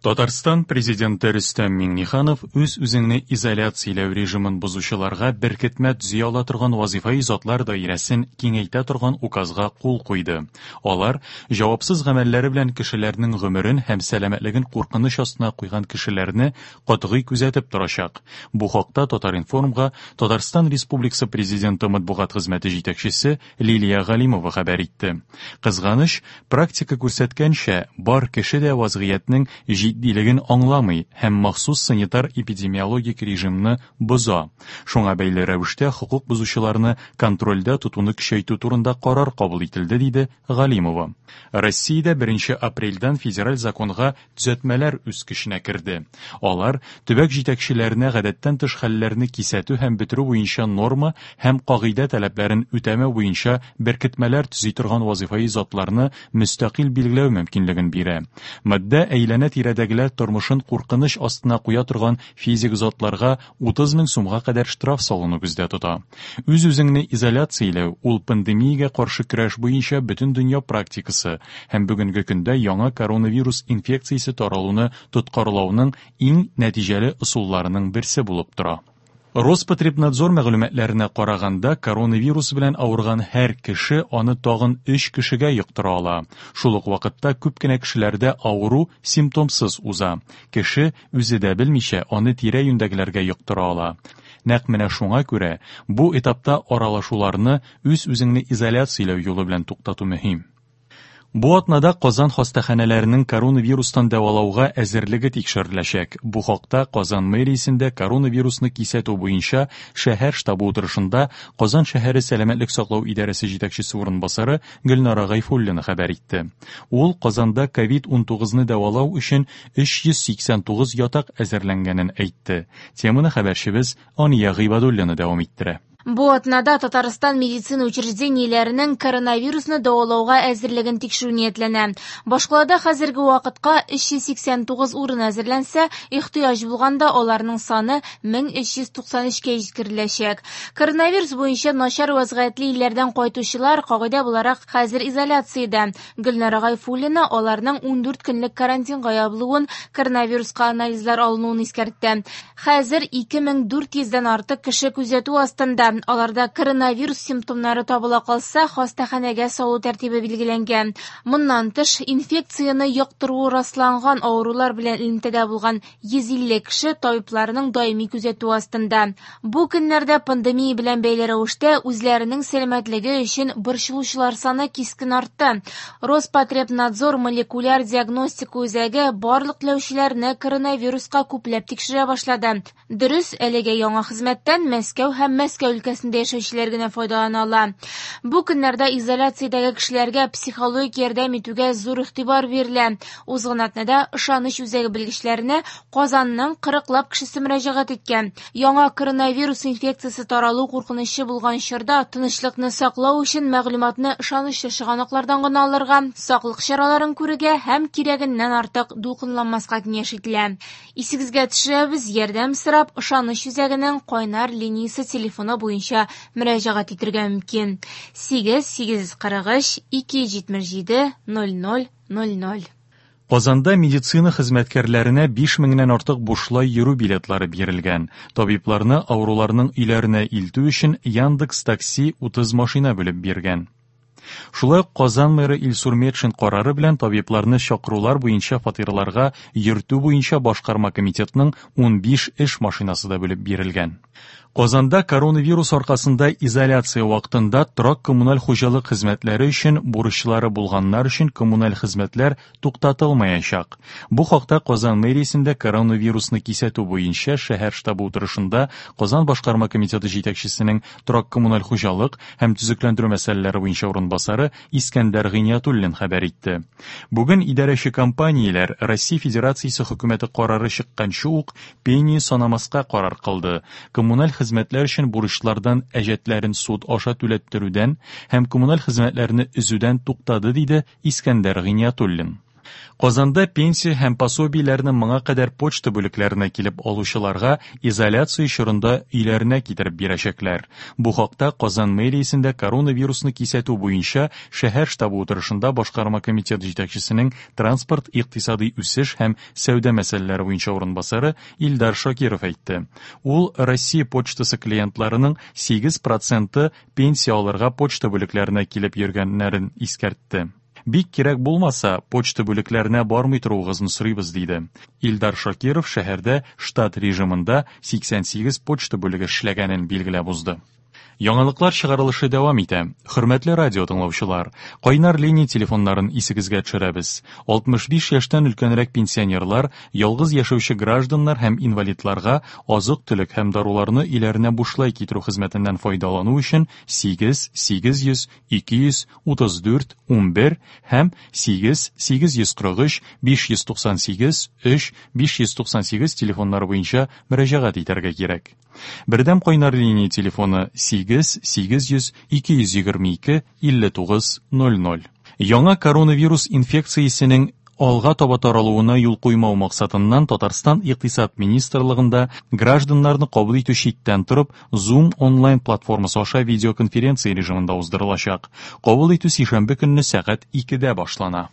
Татарстан Президенты Рөстәм Миңнеханов үз-үзеңне изоляцияләү режимын бозучыларга беркетмә төзи ала торган вазифаи затлар даирәсен киңәйтә торган указга кул куйды. Алар җавапсыз гамәлләре белән кешеләрнең гомерен һәм сәламәтлеген куркыныч астына куйган кешеләрне катгый күзәтеп торачак. Бу хакта Татар-информга Татарстан Республикасы Президенты матбугат хезмәте җитәкчесе Лилия Галимова хәбәр итте. Кызганыч, практика күрсәткәнчә, бар кеше дә вазгыятьнең җитдилеген аңламый һәм махсус санитар-эпидемиологик режимны боза. Шуңа бәйле рәвештә хокук бозучыларны контрольдә тотуны көчәйтү турында карар кабул ителде, диде Галимова. Россиядә 1 апрельдән федераль законга төзәтмәләр үз көченә керде. Алар төбәк җитәкчеләренә гадәттән тыш хәлләрне кисәтү һәм бетерү буенча норма һәм кагыйдә таләпләрен үтәмәү буенча беркетмәләр төзи торган вазыйфаи затларны мөстәкыйль билгеләү мөмкинлеген бирә. Маддә әйләнә-тирәдәгеләр тормышын куркыныч астына куя торган физик затларга 30 мең сумга кадәр штраф салыну күздә тота. Үз-үзеңне изоляцияләү, ул пандемиягә каршы көрәш буенча бөтендөнья практикасы һәм бүгенге көндә яңа коронавирус инфекциясе таралуны тоткарлауның иң нәтиҗәле ысулларының берсе булып тора. Роспотребнадзор мәгълүматларына караганда, коронавирус белән авырган һәр кеше аны тагын өч кешегә йоктыра ала. Шул ук вакытта күп кенә кешеләрдә авыру симптомсыз уза. Кеше, үзе дә белмичә, аны тирә-юньдәгеләргә йоктыра ала. Нәкъ менә шуңа күрә бу этапта аралашуларны үз-үзеңне изоляцияләү юлы белән туктату мөһим. Бу атнада Казан хастаханәләренең коронавирустан дәвалауга әзерлеге тикшереләчәк. Бу хакта Казан мэриясендә коронавирусны кисәтү буенча шәһәр штабы утырышында Казан шәһәре сәламәтлек саклау идарәсе җитәкчесе урынбасары Гөлнара Гайфуллина хәбәр итте. Ул Казанда ковид-19 ны дәвалау өчен 389 ятак әзерләнгәнен әйтте. Теманы хәбәрчебез Ания Гыйбадуллина дәвам иттерә. Бу атнада Татарстан медицина учреждениеләренең коронавирусны дәвалауга әзерлеген тикшерү ниятләнә. Башкалада хәзерге вакытка 389 урын әзерләнсә, ихтыяҗ булганда аларның саны 1393-кә җиткереләчәк. Коронавирус буенча начар вәзгыятьле илләрдән кайтучылар, кагыйдә буларак, хәзер изоляциядә. Гөлнара Гайфуллина аларның 14 көнлек карантинга ябылуын, коронавируска анализлар алынуын искәртте. Хәзер 2400 дән артык кеше күзәтү астында. Аларда коронавирус симптомнары табыла калса, хастаханәгә салу тәртибе билгеләнгән. Моннан тыш, инфекцияне йоктыруы расланган авырулар белән элемтәдә булган 150 кеше табибларның даими күзәтүе астында. Бу көннәрдә пандемия белән бәйле рәвештә үзләренең сәламәтлеге өчен борчылучылар саны кискен артты. Роспотребнадзор молекуляр диагностика үзәге барлык теләүчеләрне коронавируска күпләп тикшерә башлады. Дөрес, әлегә яңа хезмәттән Мәскәү һәм Мәскәү өлкәсендә яшәүчеләр генә файдалана ала. Бу көннәрдә изоляциядәге кешеләргә психологик ярдәм итүгә зур игътибар бирелә. Узган атнада Ышаныч үзәге белгечләренә Казанның кырыклап кешесе мөрәҗәгать иткән. Яңа коронавирус инфекциясе таралу куркынычы булган чорда тынычлыкны саклау өчен мәгълүматны ышанычлы чыганаклардан гына алырга, саклык чараларын күрергә һәм кирәгеннән артык дулкынланмаска киңәш ителә. Исегезгә төшерәбез, ярдәм сорап Ышаныч үзәгенең кайнар линиясе телефоны буенча мөрәҗәгать итергә мөмкин. 8 843 277 00 00. Казанда медицина хезмәткәрләренә 5 меңнән артык бушлай йөрү билетлары бирелгән. Табибларны авыруларның өйләренә илтү өчен Яндекс Такси 30 машина бүлеп биргән. Шулай ук Казан мэры Илсур Метшин карары белән табибларны чакырулар буенча фатирларга йөртү буенча башкарма комитетның 15 эш машинасы да бүлеп бирелгән. Казанда коронавирус аркасында изоляция вакытында торак-коммуналь хуҗалык хезмәтләре өчен бурычлары булганнар өчен коммуналь хезмәтләр туктатылмаячак. Бу хакта Казан мэриясендә коронавирусны кисәтү буенча шәһәр штабы утырышында Казан башкарма комитеты җитәкчесенең торак-коммуналь хуҗалык һәм төзекләндерү мәсьәләләре буенча урынбасары Искәндәр Гыйниятуллин хәбәр итте. Бүген идарәче компанияләр Россия Федерациясе хөкүмәте карары чыкканчы ук пени санамаска карар кылды. Коммуналь хезмәтләр өчен бурычлардан әҗәтләрен суд аша түләттерүдән һәм коммуналь хезмәтләрне өзүдән туктады, диде Искәндәр Гыйниятуллин. Казанда пенсия һәм пособиеләрне моңа кадәр почта бүлекләренә килеп алучыларга изоляция чорында өйләренә китереп бирәчәкләр. Бу хакта Казан мэриясендә коронавирусны кисәтү буенча шәһәр штабы утырышында башкарма комитет җитәкчесенең транспорт, икътисадый үсеш һәм сәүдә мәсьәләләре буенча урынбасары Илдар Шакиров әйтте. Ул Россия почтасы клиентларының 8 проценты пенсия алырга почта бүлекләренә килеп йөргәннәрен искәртте. Бик кирәк булмаса, почта бүлекләренә бармый торуыгызны сорыйбыз, диде. Илдар Шакиров шәһәрдә штат режимында 88 почта бүлеге эшләгәнен билгеләп узды. Яңалыклар чыгарылышы дәвам итә. Хөрмәтле радио тыңлаучылар, кайнар линия телефоннарын исегезгә төшерәбез. 65 яшьтән өлкәнрәк пенсионерлар, ялгыз яшәүче гражданнар һәм инвалидларга азык-төлек һәм даруларны өйләренә бушлай китерү хезмәтеннән файдалану өчен 8 800 234 11 һәм 8 843 598 3 598 телефоннары буенча мөрәҗәгать итәргә кирәк. Бердәм кайнар линия телефоны 8 800 222 59 00. Яңа коронавирус инфекциясенең алга таба таралуына юл куймау максатыннан Татарстан Икътисад министрлыгында гражданнарны кабул итү читтән торып Zoom онлайн платформасы аша видеоконференция режимында уздырылачак. Кабул итү сишәмбе көнне сәгать 2-дә башлана.